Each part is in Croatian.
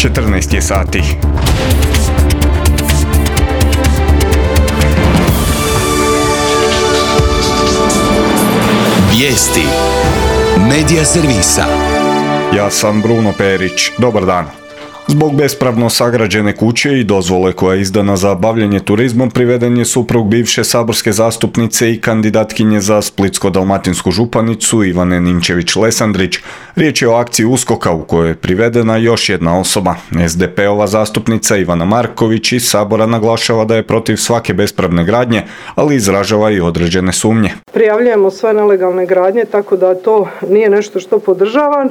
14 je sati. Vijesti Medija servisa. Ja sam Bruno Perić. Dobar dan. Zbog bespravno sagrađene kuće i dozvole koja je izdana za bavljenje turizmom priveden je suprug bivše saborske zastupnice i kandidatkinje za Splitsko-dalmatinsku županicu Ivane Ninčević-Lesandrić. Riječ je o akciji USKOK-a u kojoj je privedena još jedna osoba. SDP-ova zastupnica Ivana Marković iz Sabora naglašava da je protiv svake bespravne gradnje, ali izražava i određene sumnje. Prijavljujemo sve nelegalne gradnje, tako da to nije nešto što podržavam.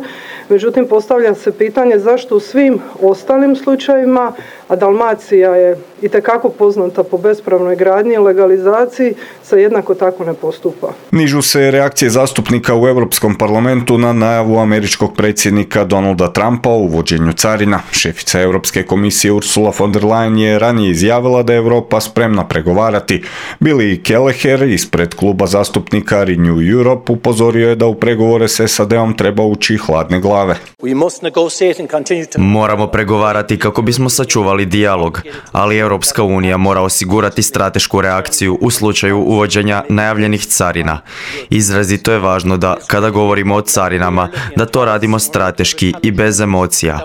Međutim, postavlja se pitanje zašto u svim ostalim slučajevima, a Dalmacija je itekako poznata po bespravnoj gradnji i legalizaciji, se jednako tako ne postupa. Nižu se reakcije zastupnika u Europskom parlamentu na najavu američkog predsjednika Donalda Trumpa o uvođenju carina. Šefica Europske komisije Ursula von der Leyen je ranije izjavila da je Europa spremna pregovarati. Billy Kelleher ispred kluba zastupnika Renew Europe upozorio je da u pregovore s SAD-om treba ući hladne glave. Moramo pregovarati kako bismo sačuvali dijalog, ali Europska unija mora osigurati stratešku reakciju u slučaju uvođenja najavljenih carina. Izrazito je važno da, kada govorimo o carinama, da to radimo strateški i bez emocija.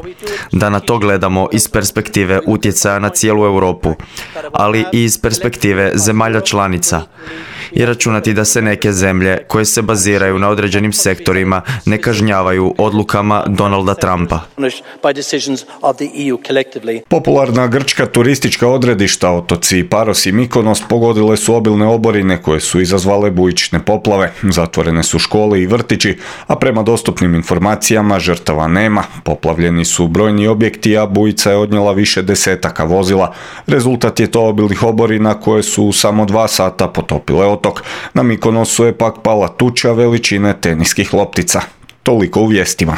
Da na to gledamo iz perspektive utjecaja na cijelu Europu, ali i iz perspektive zemalja članica. I računati da se neke zemlje koje se baziraju na određenim sektorima ne kažnjavaju odlukama Donalda Trumpa. Popularna grčka turistička odredišta, otoci Paros i Mikonos, pogodile su obilne oborine koje su izazvale bujične poplave. Zatvorene su škole i vrtići, a prema dostupnim informacijama žrtava nema. Poplavljeni su brojni objekti, a bujica je odnijela više desetaka vozila. Rezultat je to obilnih oborina koje su u samo 2 sata potopile otok. Na Mikonosu je pak pala tuča veličine teniskih loptica. Toliko u vijestima.